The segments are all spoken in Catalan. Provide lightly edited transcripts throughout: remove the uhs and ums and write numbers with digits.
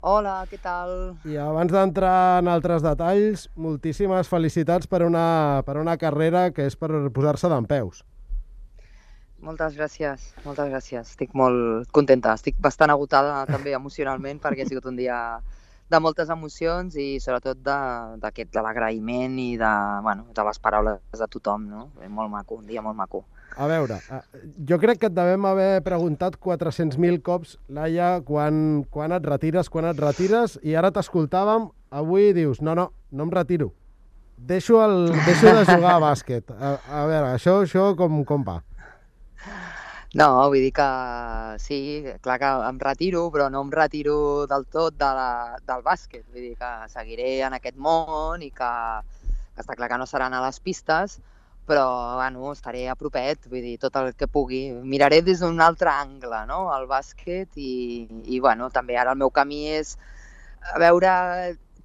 Hola, què tal? I abans d'entrar en altres detalls, moltíssimes felicitats per una carrera que és per posar-se dempeus. Moltes gràcies, moltes gràcies. Estic molt contenta. Estic bastant agotada també emocionalment perquè ha sigut un dia de moltes emocions i sobretot de l'agraïment i de les paraules de tothom, no? Molt maco, un dia molt maco. A veure, jo crec que et devem haver preguntat 400.000 cops, Laia, quan et retires, i ara t'escoltàvem, avui dius, no em retiro. Deixo de jugar a bàsquet. A veure, això com va? No, vull dir que sí, clar que em retiro, però no em retiro del tot del bàsquet. Vull dir que seguiré en aquest món i que està clar que no seran a les pistes, però bueno, estaré a propet, vull dir, tot el que pugui. Miraré des d'un altre angle, no?, el bàsquet i bueno, també ara el meu camí és a veure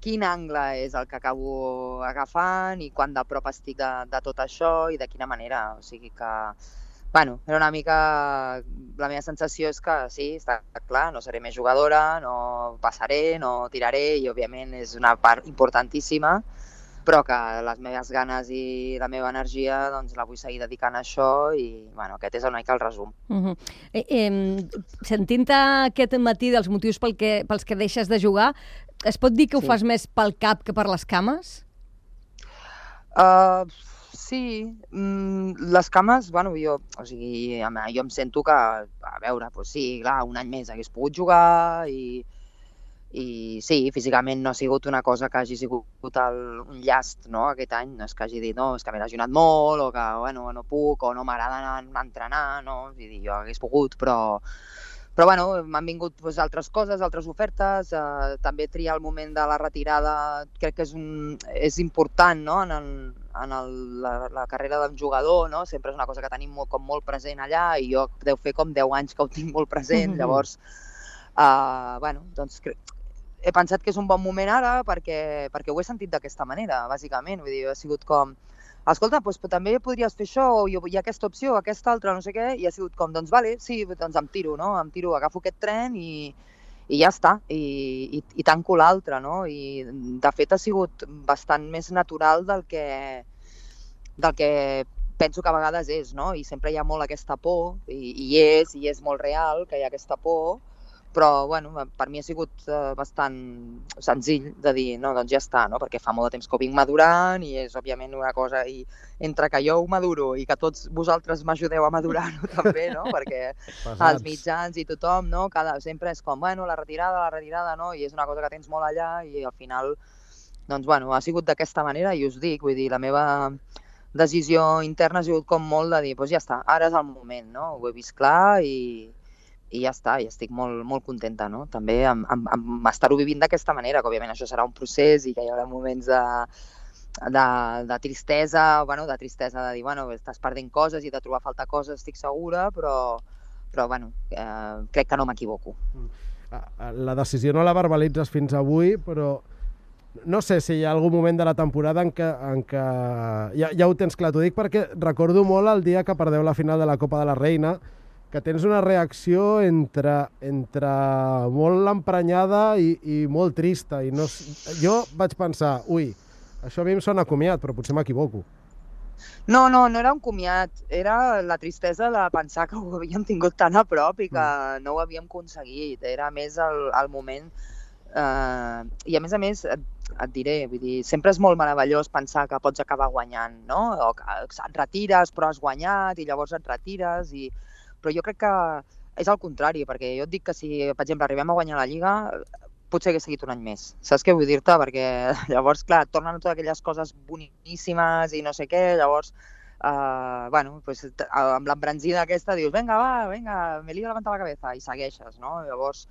quin angle és el que acabo agafant i quan de prop estic de tot això i de quina manera. O sigui que, bueno, era una mica... La meva sensació és que sí, està clar, no seré més jugadora, no passaré, no tiraré i òbviament és una part importantíssima, però que les meves ganes i la meva energia doncs la vull seguir dedicant a això i bueno, aquest és una mica el resum. Sentint-te aquest matí dels motius pels que deixes de jugar, es pot dir que ho fas més pel cap que per les cames? Sí, les cames, bueno, jo em sento que, a veure, doncs sí, clar, un any més hagués pogut jugar i sí, físicament no ha sigut una cosa que hagi sigut un llast, no?, aquest any. No és que hagi dit, no, és que m'he lesionat molt, o que, bueno, no puc, o no m'agrada anar a entrenar, no? Vull dir, jo hagués pogut, però bueno, m'han vingut doncs, altres coses, altres ofertes, també triar el moment de la retirada crec que és important, no?, la carrera d'un jugador, no? Sempre és una cosa que tenim molt present allà i jo deu fer com 10 anys que ho tinc molt present, llavors, bueno, doncs he pensat que és un bon moment ara perquè ho he sentit d'aquesta manera, bàsicament. Vull dir, ha sigut com, escolta, doncs també podries fer això, o hi ha aquesta opció, aquesta altra, no sé què, i ha sigut com, doncs vale, sí, doncs em tiro, no? Em tiro, agafo aquest tren i ja està, i tanco l'altre, no? I de fet ha sigut bastant més natural del que penso que a vegades és, no? I sempre hi ha molt aquesta por, i és molt real que hi ha aquesta por, però bueno, per mi ha sigut bastant senzill de dir, no, doncs ja està, no? Perquè fa molt de temps que ho vinc madurant i és òbviament una cosa, i entre que jo ho maduro i que tots vosaltres m'ajudeu a madurar-ho també, no? Perquè els mitjans i tothom, no? Sempre és com, bueno, la retirada, no? I és una cosa que tens molt allà i al final, doncs bueno, ha sigut d'aquesta manera i us dic, vull dir, la meva decisió interna ha sigut com molt de dir, doncs ja està, ara és el moment, no? Ho he vist clar i ja està, i estic molt, molt contenta, no? També amb estar-ho vivint d'aquesta manera, que òbviament això serà un procés i que hi haurà moments de tristesa, bueno, de dir, bueno, estàs perdent coses i de trobar a faltar coses, estic segura, però bueno, crec que no m'equivoco. La decisió no la verbalitzes fins avui, però no sé si hi ha algun moment de la temporada en què ja ho tens clar. T'ho dic perquè recordo molt el dia que perdeu la final de la Copa de la Reina, que tens una reacció entre molt emprenyada i molt trista. I no, jo vaig pensar, ui, això a mi em sona comiat, però potser m'equivoco. No era un comiat, era la tristesa de pensar que ho havíem tingut tan a prop i que no ho havíem aconseguit. Era més el moment... I a més, et diré, vull dir, sempre és molt meravellós pensar que pots acabar guanyant, no? O que et retires però has guanyat i llavors et retires però jo crec que és al contrari, perquè jo et dic que si, per exemple, arribem a guanyar la Lliga, potser hagués seguit un any més. Saps què vull dir-te? Perquè llavors, clar, tornen totes aquelles coses boníssimes i no sé què, llavors, bueno, pues, amb l'embranzida aquesta dius, vinga, me lío levantar la cabeza, i segueixes, no? Llavors,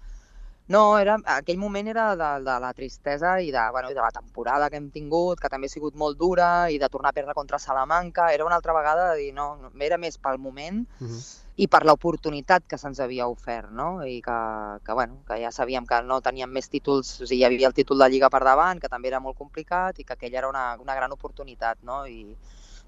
no, aquell moment era de la tristesa i de la temporada que hem tingut, que també ha sigut molt dura, i de tornar a perdre contra Salamanca. Era una altra vegada de dir, no, era més pel moment i per l'oportunitat que se'ns havia ofert, no? I que ja sabíem que no teníem més títols, o sigui, hi havia el títol de Lliga per davant, que també era molt complicat, i que aquella era una gran oportunitat, no? I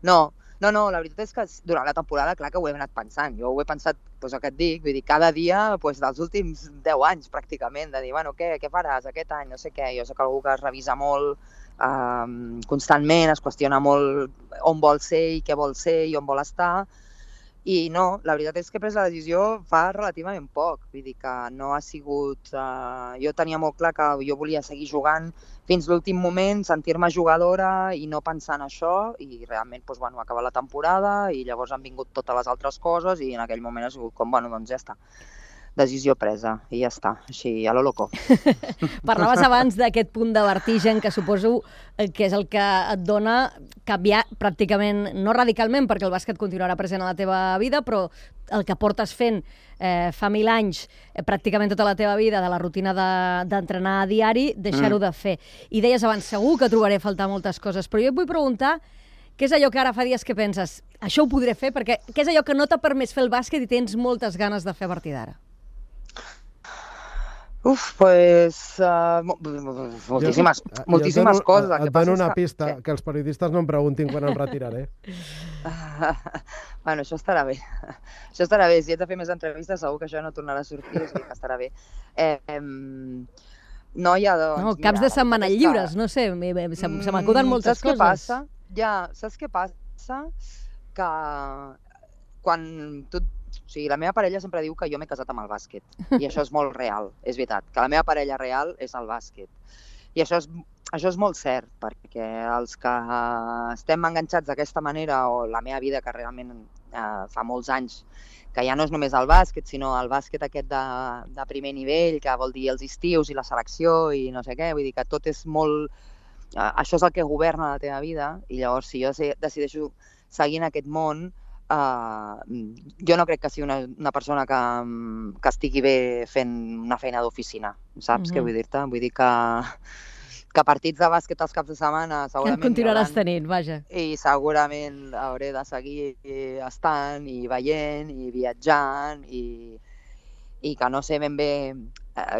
No, la veritat és que durant la temporada, clar que ho he anat pensant. Jo ho he pensat, doncs el que et dic, vull dir, cada dia dels últims 10 anys, pràcticament, de dir, bueno, què faràs aquest any, no sé què. Jo soc algú que es revisa molt constantment, es qüestiona molt on vol ser i què vol ser i on vol estar. I no, la veritat és que he pres la decisió fa relativament poc. Vull dir que no ha sigut... jo tenia molt clar que jo volia seguir jugant fins l'últim moment, sentir-me jugadora i no pensar en això, i realment acaba la temporada i llavors han vingut totes les altres coses i en aquell moment ha sigut com, doncs ja està. Decisió presa i ja està, així a lo loco. Parlaves abans d'aquest punt de vertigen que suposo que és el que et dona canviar pràcticament, no radicalment, perquè el bàsquet continuarà present a la teva vida, però el que portes fent fa 1000 anys, pràcticament tota la teva vida, de la rutina d'entrenar a diari, deixar-ho de fer. I deies abans, segur que trobaré a faltar moltes coses, però jo et vull preguntar què és allò que ara fa dies que penses, això ho podré fer, perquè què és allò que no t'ha permès fer el bàsquet i tens moltes ganes de fer a partir d'ara? Moltíssimes coses. Et dono una pista, que els periodistes no em preguntin quan em retiraré. Bueno, això estarà bé. Això estarà bé. Si ets de fer més entrevistes, segur que això no tornarà a sortir, o sigui que estarà bé. Caps de setmana lliures, no sé, se m'acuden moltes coses. Saps què passa? Que quan tu... O sigui, la meva parella sempre diu que jo m'he casat amb el bàsquet. I això és molt real, és veritat. Que la meva parella real és el bàsquet. I això és molt cert, perquè els que estem enganxats d'aquesta manera, o la meva vida, que realment fa molts anys, que ja no és només el bàsquet, sinó el bàsquet aquest de primer nivell, que vol dir els estius i la selecció i no sé què, vull dir que tot és molt... Això és el que governa la teva vida, i llavors si jo decideixo seguir en aquest món, jo no crec que sigui una persona que estigui bé fent una feina d'oficina, saps què vull dir-te? Vull dir que partits de bàsquet els caps de setmana segurament... Que continuaràs tenint, vaja. I segurament hauré de seguir estant i veient i viatjant i que no sé ben bé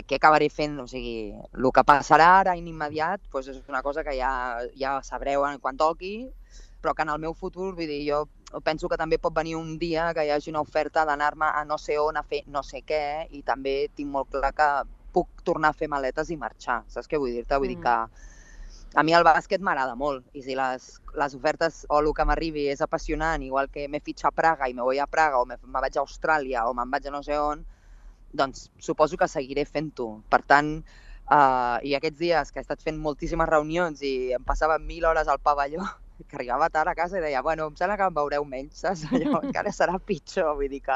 què acabaré fent, o sigui, el que passarà ara en immediat és una cosa que ja sabreu quan toqui, però que en el meu futur, vull dir, jo penso que també pot venir un dia que hi hagi una oferta d'anar-me a no sé on a fer no sé què, i també tinc molt clar que puc tornar a fer maletes i marxar, saps què vull dir-te? Vull dir que a mi el bàsquet m'agrada molt, i si les ofertes o el que m'arribi és apassionant, igual que m'he fitxat a Praga i me voy a Praga, o me vaig a Austràlia, o me'n vaig a no sé on, doncs suposo que seguiré fent-ho. Per tant, i aquests dies que he estat fent moltíssimes reunions i em passava 1000 hores al pavelló, que arribava tard a casa i deia, bueno, em sembla que em veureu menys, saps? Allò encara serà pitjor, vull dir que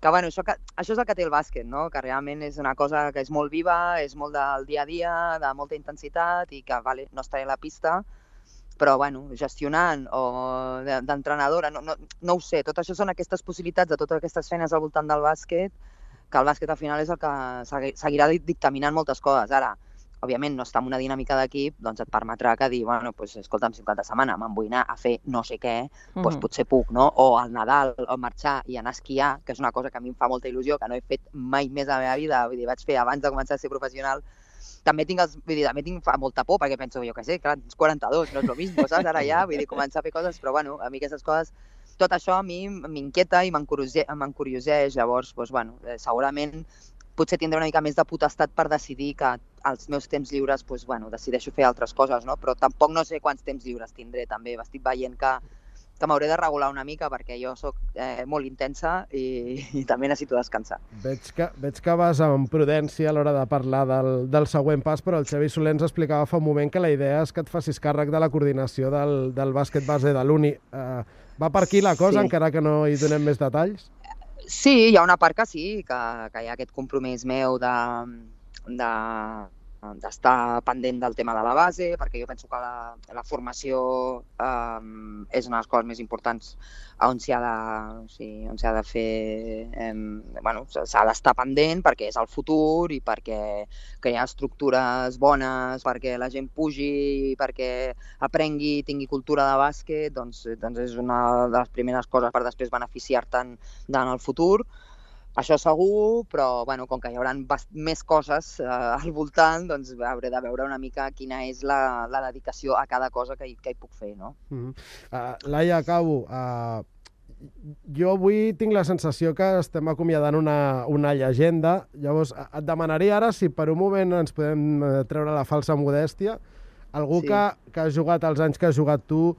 això és el que té el bàsquet, no? Que realment és una cosa que és molt viva, és molt del dia a dia, de molta intensitat, i que no estaré a la pista, però bueno, gestionant o d'entrenadora, no ho sé, tot això són aquestes possibilitats de totes aquestes feines al voltant del bàsquet, que el bàsquet al final és el que seguirà dictaminant moltes coses. Ara, òbviament, no està en una dinàmica d'equip, doncs et permetrà que dir, bueno, escolta'm, si un cap de setmana me'n vull anar a fer no sé què, doncs potser puc, no? O al Nadal, o marxar i anar a esquiar, que és una cosa que a mi em fa molta il·lusió, que no he fet mai més a la meva vida, vull dir, vaig fer abans de començar a ser professional. També tinc molta por, perquè penso, jo què sé, clar, tens 42, no és el mismo, saps? Ara ja, vull dir, començar a fer coses, però bueno, a mi aquestes coses, tot això a mi m'inquieta i m'encurioseix, llavors, doncs bueno, segurament potser tindré una mica més de potestat per decidir que als meus temps lliures decideixo fer altres coses, no? Però tampoc no sé quants temps lliures tindré, també. Estic veient que m'hauré de regular una mica perquè jo sóc molt intensa i també necessito descansar. Veig que vas amb prudència a l'hora de parlar del següent pas, però el Xavi Soler ens explicava fa un moment que la idea és que et facis càrrec de la coordinació del bàsquet base de l'Uni. Va per aquí la cosa, encara que no hi donem més detalls? Sí, hi ha una part que sí, que hi ha aquest compromís meu d'estar pendent del tema de la base, perquè jo penso que la formació és una de les coses més importants on s'ha de fer... s'ha d'estar pendent perquè és el futur i perquè crear estructures bones, perquè la gent pugi, perquè aprengui i tingui cultura de bàsquet, doncs és una de les primeres coses per després beneficiar-te'n en el futur. Això segur, però bueno, com que hi haurà més coses al voltant, doncs hauré de veure una mica quina és la dedicació a cada cosa que hi puc fer, no? Laia, acabo. Jo avui tinc la sensació que estem acomiadant una llegenda. Llavors, et demanaria ara si per un moment ens podem treure la falsa modèstia. Algú Sí. que ha jugat els anys que has jugat tu,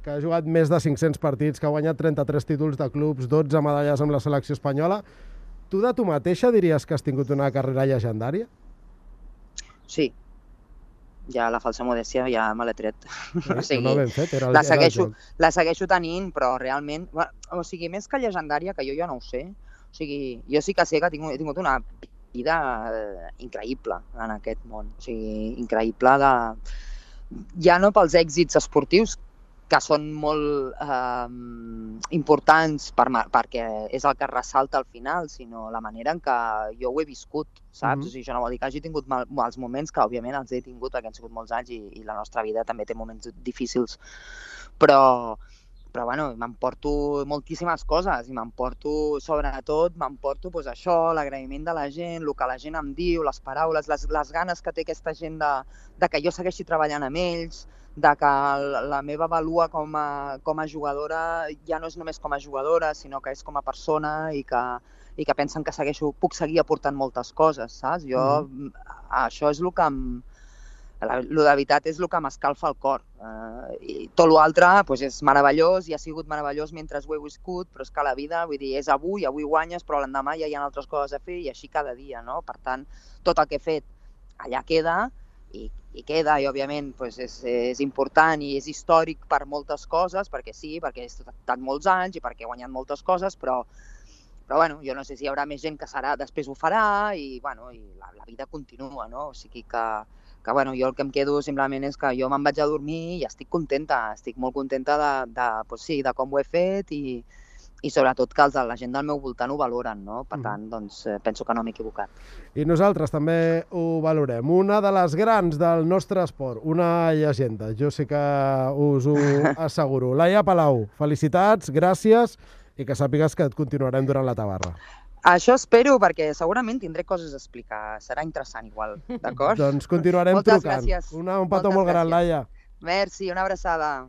que ha jugat més de 500 partits, que ha guanyat 33 títols de clubs, 12 medalles amb la selecció espanyola. Tu de tu mateixa diries que has tingut una carrera llegendària? Sí. Ja la falsa modèstia ja me l'he tret. Sí, no ben fet, era el la joc. segueixo tenint, però realment... O sigui, més que llegendària, que jo ja no ho sé, o sigui, jo sí que sé que he tingut una vida increïble en aquest món. O sigui, increïble ja no pels èxits esportius, que són molt importants perquè és el que ressalta al final, sinó la manera en què jo ho he viscut, saps? O sigui, això no vol dir que hagi tingut mals moments, que òbviament els he tingut perquè han sigut molts anys i la nostra vida també té moments difícils, però bueno, m'emporto moltíssimes coses i sobretot m'emporto doncs, això, l'agraïment de la gent, el que la gent em diu, les paraules, les ganes que té aquesta gent de que jo segueixi treballant amb ells, de que la meva vàlua com a jugadora ja no és només com a jugadora, sinó que és com a persona i que pensen que puc seguir aportant moltes coses, saps? Això és el que de veritat és el que m'escalfa el cor. I tot l'altre és meravellós i ha sigut meravellós mentre ho he viscut, però és que la vida, vull dir, és avui guanyes, però l'endemà ja hi ha altres coses a fer i així cada dia, no? Per tant, tot el que he fet allà queda i queda, i òbviament és important i és històric per moltes coses, perquè sí, perquè he estat molts anys i perquè he guanyat moltes coses, però bueno, jo no sé si hi haurà més gent que després ho farà i la vida continua, no? O sigui que bueno, jo el que em quedo simplement és que jo me'n vaig a dormir i estic contenta, estic molt contenta de com ho he fet i sobretot que la gent del meu voltant ho valoren, no? Per tant, doncs, penso que no m'he equivocat. I nosaltres també ho valorem. Una de les grans del nostre esport, una llegenda, jo sí que us ho asseguro. Laia Palau, felicitats, gràcies i que sàpigues que et continuarem durant la tabarra. Això espero, perquè segurament tindré coses a explicar. Serà interessant igual, d'acord? Doncs continuarem Moltes trucant. Gràcies. Un petó molt gran, Laia. Merci, una abraçada.